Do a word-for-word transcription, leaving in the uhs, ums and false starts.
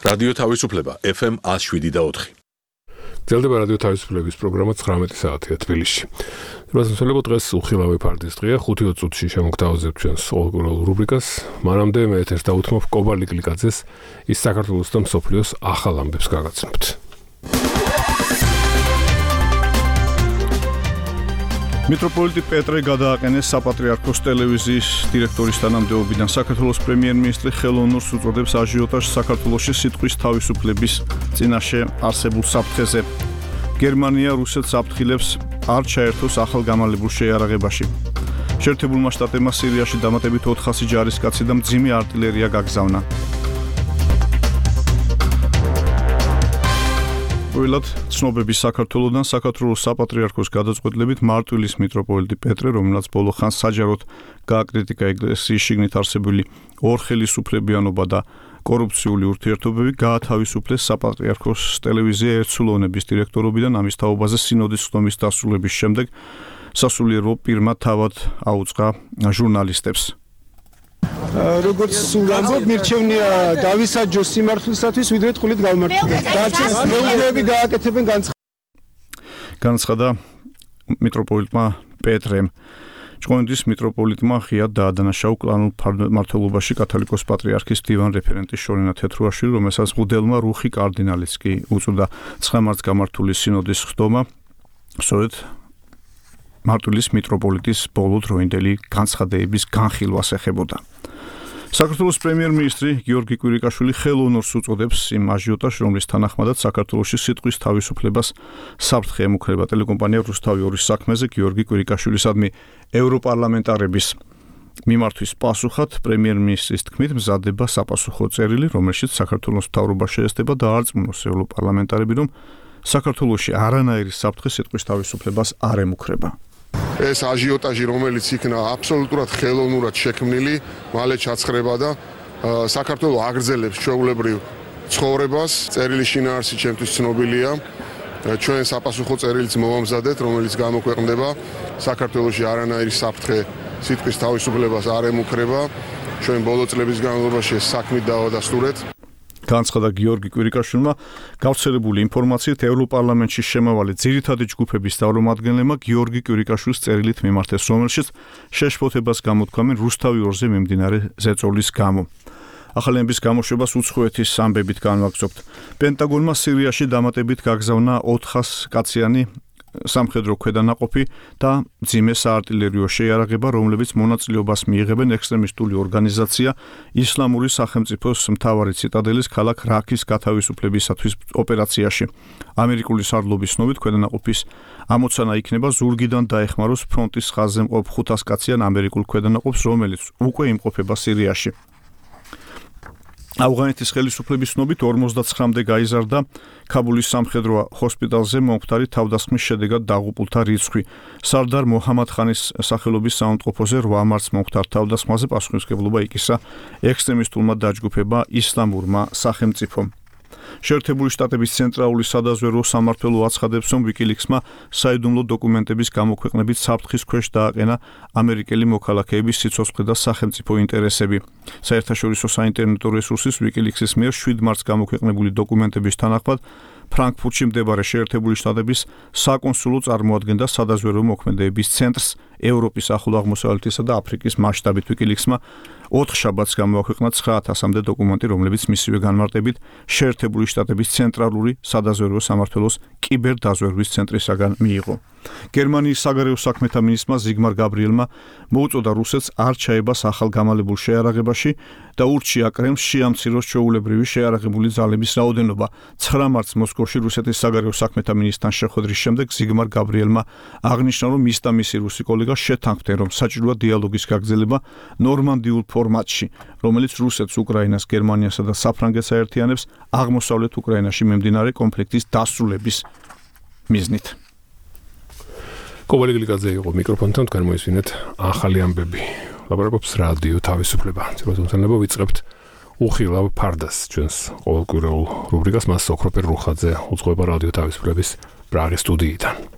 რადიო თავისუფლება ეფ ემ one oh seven და four. გრძელდება რადიო თავისუფლების პროგრამა ცხრამეტი საათია თბილისში. რასაძლოა დღეს უხილავი ფარდის დღეა, ხუთი წუთში შემოგთავაზებთ ჩვენს ყოველკვირეულ რუბრიკას. მანამდე მე ეთერს დავუთმობ კობალ ლიკლიკაძეს, ის საქართველოს და მსოფლიოს ახალ ამბებს გაგაცნობთ. მიტროპოლიტი პეტრე გადააყენეს საპატრიარქოს ტელევიზიის დირექტორის თანამდებობიდან. საქართველოს პრემიერ-მინისტრი ხელოვნურს უწოდებს აჟიოტაჟს საქართველოში სიტყვის თავისუფლების წინაშე არსებულ საფრთხეზე. გერმანია რუსეთს აფრთხილებს არ ჩაერთოს ახალ გამალებულ შეიარაღებაში. შეერთებულმა შტატებმა სირიაში დამატებით ოთხასი ჯარისკაცი და მძიმე არტილერია გაგზავნა. ვილად ცნობები საქართველოდან საქართველოს საპატრიარქოს გადაწყვეტილებით მარტვილის მიტროპოლიტი პეტრე, რომელსაც ბოლო ხანს საჯაროდ გააკრიტიკა ეკლესიის შიგნით არსებული ორხელისუფლებიანობა და კორუფციული ურთიერთობები, გაათავისუფლეს საპატრიარქოს ტელევიზია ერთსულოვნების დირექტორობიდან. ამის თაობაზე სინოდის ხდომის დასრულების შემდეგ სასულიერო პირმა თავად აუწყა ჟურნალისტებს. როგორც სულ ამბობ, მირჩევნია დავისაჯო სიმართლისათვის, ვიდრე ტყუილით გავმართლო. დარჩეს მეუღლეები გააკეთებენ განცხადება. განცხადა მიტროპოლიტმა პეტრემ. ჭყონდიდის მიტროპოლიტმა ღიად დაადანაშავა კლანურ მმართველობაში კათოლიკოს პატრიარქის დივან რეფერენტი შორენა თეთრუაშვილი, რომელსაც მღვდელმა რუხი კარდინალიც კი უწოდა ცხრა მარტს გამართული სინოდის ხდომა. სწორედ მარტვილის მიტროპოლიტის ბოლო დროინდელი განცხადებების განხილვას ეხებოდა. საქართველოს პრემიერ-მინისტრი გიორგი კვირიკაშვილი ხელოვნურს უწოდებს იმ აჟიოტაჟს, რომლის თანახმადაც საქართველოში სიტყვის თავისუფლებას საფრთხე ემუქრება. ტელეკომპანია რუსთავი ორის საქმეზე გიორგი კვირიკაშვილისადმი ევროპარლამენტარების მიმართვის პასუხად პრემიერ-მინისტრის თქმით მზადდება sapasukho წერილი, რომელშიც საქართველოს მთავრობა შეესწება დაარწმუნოს ევროპარლამენტარები, რომ საქართველოში არანაირი საფრთხე სიტყვის თავისუფლებას არ ემუქრება. ეს აჟიოტაჟი, რომელიც იქნა აბსოლუტურად ხელოვნურად შექმნილი, მალე ჩაცხრება და საქართველოს აგრძელებს ჩვეულებრივ ცხოვრებას. წერილის შინაარსი ჩემთვის ცნობილია. ჩვენ საპასუხო წერილიც მოვამზადეთ, რომელიც გამოქვეყნდება. საქართველოში არანაირი საფრთხე სიტყვის თავისუფლებას არ ემუქრება. ჩვენ ბოლო წლების განმავლობაში ეს საქმით დავადასტურეთ. განცხადა გიორგი კვირიკაშვილმა. გავრცელებული ინფორმაციით ევროპარლამენტში შემავალი ძირითადი ჯგუფების წარმომადგენლებმა გიორგი კვირიკაშვილის წერილით მიმართეს, რომელშიც შეშფოთებას გამოთქვამენ რუსთავი ორზე მიმდინარე ზეწოლის გამო. ახალენების გამოშვებას უცხოეთის ამბებით განვაგრძობთ. პენტაგონმა სირიაში დამატებით გაგზავნა ოთხას კაციანი სამხედრო ქვედანაყოფი და მძიმე საარტილერიო შეიარაღება, რომლებიც მონაწილეობას მიიღებენ ექსტრემისტული ორგანიზაცია ისლამური სახელმწიფოს მთავარი ციტადელის ქალაქ რაქის გათავისუფლებისათვის ოპერაციაში. ამერიკული სარდლობის ცნობით ქვედანაყოფის ამოცანა იქნება ზურგიდან დაეხმაროს ფრონტის ხაზზე მყოფ ხუთას კაციან ამერიკულ ქვედანაყოფს, რომელიც უკვე იმყოფება სირიაში. ავღანეთის ხელისუფლების ცნობით ორმოცდაცხრამდე გაიზარდა ქაბულის სამხედრო ჰოსპიტალზე მომხდარი თავდასხმის შედეგად დაღუპულთა რიცხვი. სარდარ მოჰამად ხანის სახელობის საავადმყოფოზე რვა მარტს მომხდარ თავდასხმაზე პასუხისმგებლობა იკისა ექსტრემისტულმა დაჯგუფება ისლამურმა სახელმწიფომ. შეერთებული შტატების ცენტრალური სადაზვერვო სამმართველო აცხადებს, რომ ვიკილიქსმა საიდუმლო დოკუმენტების გამოქვეყნებით საფრთხის ქვეშ დააყენა ამერიკელი მოქალაქეების სიცოცხლე და სახელმწიფო ინტერესები. საერთაშორისო საინტერნეტო რესურსის ვიკილიქსის მიერ შვიდ მარტს გამოქვეყნებული დოკუმენტების თანახმად ფრანკფურტში მდებარე შეერთებული შტატების საკონსულო წარმოადგენდა სადაზვერვო მოქმედებების ცენტრს ევროპის, ახლო აღმოსავლეთისა და აფრიკის მასშტაბით. ვიკილიქსმა ოთხ შაბათს გამოაქვეყნა ცხრა ათასამდე დოკუმენტი, რომლებიც მისივე განმარტებით შეერთებული შტატების ცენტრალური სადაზვერვო სამმართველოს კიბერდაზვერვის ცენტრისაგან მიიღო. გერმანიის საგარეო საქმეთა მინისტრმა ზიგმარ გაბრიელმა მოუწოდა რუსეთს არ ჩაებას ახალ გამალებულ შეიარაღებაში და ურჩია კრემლს შეამციროს ჩვეულებრივი შეიარაღებული ძალების რაოდენობა. ცხრა მარტს მოსკოვში რუსეთის საგარეო საქმეთა მინისტრთან შეხვედრის შემდეგ ზიგმარ გაბრიელმა აღნიშნა, რომ ის და მისი რუსი კოლეგა შეთანხმდნენ, რომ საჭიროა დიალოგის გაგრძელება ნორმანდიულ ფორმატში, რომელიც რუსეთს, უკრაინას, გერმანიასა და საფრანგეთს აერთიანებს აღმოსავლეთ უკრაინაში მიმდინარე კონფლიქტის დასრულების მიზნით. კობალ ლიკლიკაძე იყო მიკროფონთან, თქვენ მოისმინეთ ახალი ამბები. ლაპარაკობს რადიო თავისუფლება. ცოტა ვიწყებთ უხილავ ფარდას ჩვენს ყოველკვირეულ რუბრიკას, მას ოქროპერ რუხაძე უძღვება რადიო თავისუფლების პრაღის სტუდიიდან.